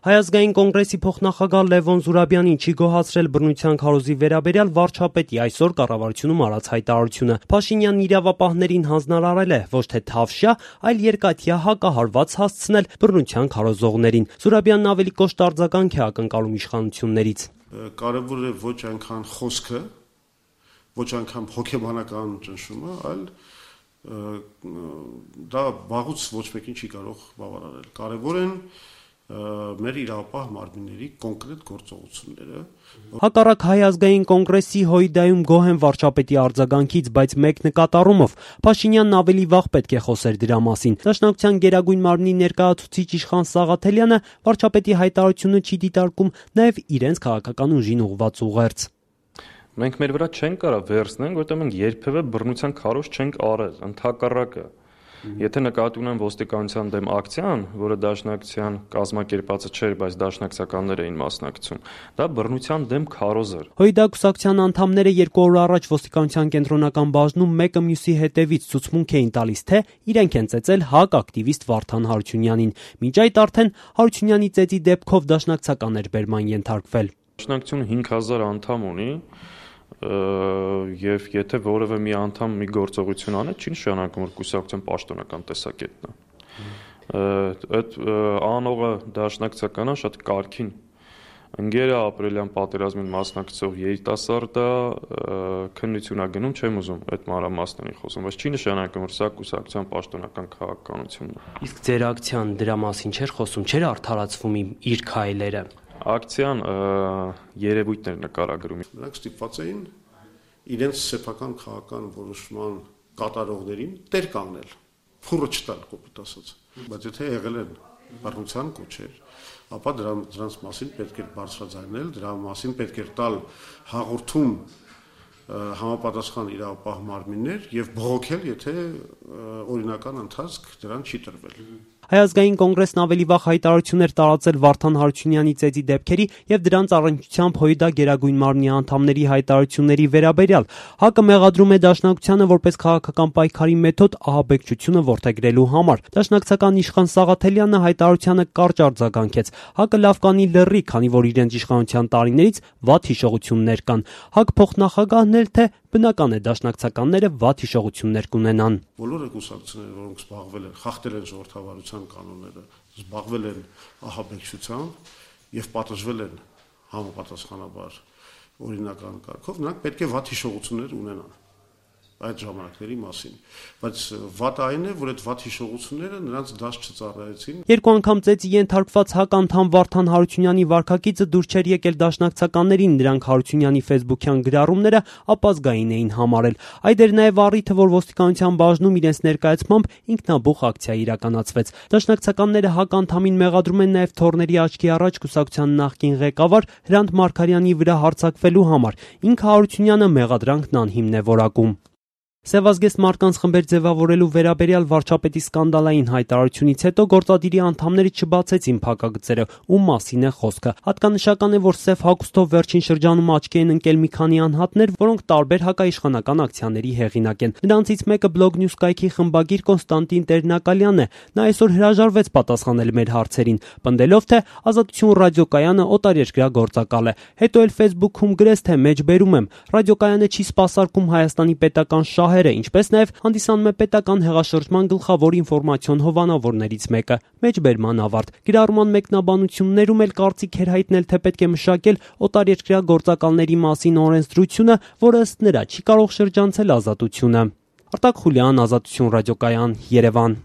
Հայ ազգային կոնգրեսի փոխնախագահ Լևոն Զուրաբյանին չի գոհացրել բռնության քարոզի վերաբերյալ վարչապետի այսօր կառավարությունում արած հայտարարությունը։ Փաշինյանն իրավապահներին հանձնարարել է ոչ թե թավշյա, այլ երկաթյա հակահարված հասցնել բռնության քարոզողներին։ Զուրաբյանն ավելի կոշտ արձագանք է ակնկալում իշխանություններից։ Կարևոր է ոչ այնքան խոսքը, ոչ այնքան հոգեբանական ճնշումը, այլ դա վաղուց ոչ մեկին չի կարող բավարարել։ Կարևոր են մեր իրավապահ մարմինների կոնկրետ գործողությունները։ Հակառակ Հայ ազգային կոնգրեսի Հույդայում գոհ են վարչապետի արձագանքից, բայց մեկ նկատառումով Փաշինյանն ավելի վաղ պետք է խոսեր դրա մասին։ Դաշնակցության գերագույն մարմնի ներկայացուցիչ Իշխան Սաղաթելյանը վարչապետի հայտարարությունը չի դիտարկում նաև իրենց քաղաքական ուժին ուղղված ուղերձ։ Մենք մեր վրա չենք կարող վերցնենք, որտեղ մենք երբևէ բռնության քարոզ չենք արել, ընդհակառակը։ Եթե նկատի ունեմ ոստիկանության դեմ ակցիան, որը դաշնակցության կազմակերպածը չէր, բայց դաշնակցականներ էին մասնակցում, դա բռնության դեմ քարոզ էր։ Հույդա կուսակցության անդամները 2 օր առաջ ոստիկանության կենտրոնական բաժնում մեկը մյուսի հետևից ցուցմունք էին տալիս, թե իրենք են ծեծել ՀԱԿ ակտիվիստ Վարդան Հարությունյանին։ Մինչ այդ արդեն Հարությունյանի ծեծի դեպքով դաշնակցականներ բերման ենթարկվել։ Դաշնակցությունը 5000 անդամ ունի, եւ եթե որևէ մի անդամ մի գործողություն անի, չի նշանակում, որ կուսակցության պաշտոնական տեսակետն է։ Այդ անողը դաշնակցականը շատ կարքին ընկեր է, ապրիլյան պատերազմին մասնակցող երիտասարդ է, քննություն է գնում, չեմ ուզում այդ մանրամասների խոսում, բայց չի նշանակում, որ սա կուսակցության պաշտոնական քաղաքականությունն է։ Իսկ ձեր ակցիան դրա մասին չէր խոսում, չէր արդարացվում իր քայլերը։ Ակցիան երևույթներ նկարագրում։ Նրանք ստիպված էին իրենց սեփական քաղաքական որոշման կատարողներին տեր կանգնել, փուրը չտալ, կոպիտ ասած։ Բայց եթե եղել են բռնության կոչեր, ապա դրանց մասին պետք է բարձրաձայնել, դրա մասին պետք է տալ հաղորդում համապատասխան իրավապահ մարմիններ եւ բողոքել, եթե օրինական ընթացք դրան չի տրվել։ Հայ ազգային կոնգրեսն ավելի վաղ հայտարարություններ տարածել Վարդան Հարությունյանի ծեծի դեպքերի եւ դրանց առնչությամբ Հույդա գերագույն մարմնի անդամների հայտարարությունների վերաբերյալ։ ՀԱԿ-ը մեղադրում է դաշնակցությանը որպես քաղաքական պայքարի մեթոդ ահաբեկչությունը որդեգրելու համար։ Դաշնակցական Իշխան Սաղաթելյանը հայտարարությանը կարճ արձագանքեց։ ՀԱԿ-ը լավ կանի լռի, քանի որ իրենց իշխանության տարիներից վատ հիշողություններ կան։ ՀԱԿ փոխնախագահն էլ թե բնական է դաշնակցականները վատ հիշողություններ կունենան։ Բոլորը կուսակցությունները, որոնք զբաղվել են, խախտել են ժողովրդավարության կանոնները, զբաղվել են ահաբեկչությամբ եւ պատժվել են համապատասխանաբար օրինական կարգով, նրանք պետք է վատ հիշողություններ ունենան այդ ժամանակների մասին, բայց վատը այն է, որ այդ վատ հիշողությունները նրանց դաշ չծառայեցին։ 2 անգամ ծեծի ենթարկված ՀԱԿ անդամ Վարդան Հարությունյանի վարքագիծը դուր չէր եկել դաշնակցականներին, նրանք Հարությունյանի ֆեյսբուքյան գրառումները ապազգային էին համարել։ Այդ էր նաև առիթը, որ ոստիկանության բաժնում իրենց ներկայացմամբ ինքնաբուխ ակցիա իրականացվեց։ Դաշնակցականները ՀԱԿ անդամին մեղադրում են նաև Թորների աչքի առաջ կուսակցության նախկին ղեկավար Հրանտ Մարգարյանի վրա հարձակվելու համար։ Ինքը Հարությունյանը մեղադրանքն անհիմն է որակում։ Սևազգեստ մարդկանց խմբեր ձևավորելու վերաբերյալ վարչապետի սկանդալային հայտարարությունից հետո գործադիրի անդամները չբացեցին փակագծերը, ում մասին է խոսքը։ Հատկանշական է, որ Սև հագուստով վերջին շրջանում աչքի են ընկել մի քանի անհատներ, որոնք տարբեր հակաիշխանական ակցիաների հեղինակ են։ Նրանցից մեկը Blog News կայքի խմբագիր Կոնստանտին Տերնակալյանն է։ Նա այսօր հրաժարվեց պատասխանել մեր հարցերին, պնդելով, թե Ազատություն ռադիոկայանը օտարերկրյա գործակալ է։ Հետո էլ Facebook-ում գրեց, թե մեջբերում եմ։ Ռադիոկայանը չի սպասարկում Հայաստանի պետական շահերը, ինչպես նաև հանդիսանում է պետական հեղաշրջման գլխավոր ինֆորմացիոն հովանավորներից մեկը։ Մեջբերման ավարտ։ Գրառման մեկնաբանություններում էլ կարծիք էր հայտնել, թե պետք է մշակել օտարերկրյա գործակալների մասին օրենսդրությունը, որը ըստ նրա չի կարող շրջանցել ազատությունը։ Արտակ Խուլյան, Ազատություն ռադիոկայան, Երևան։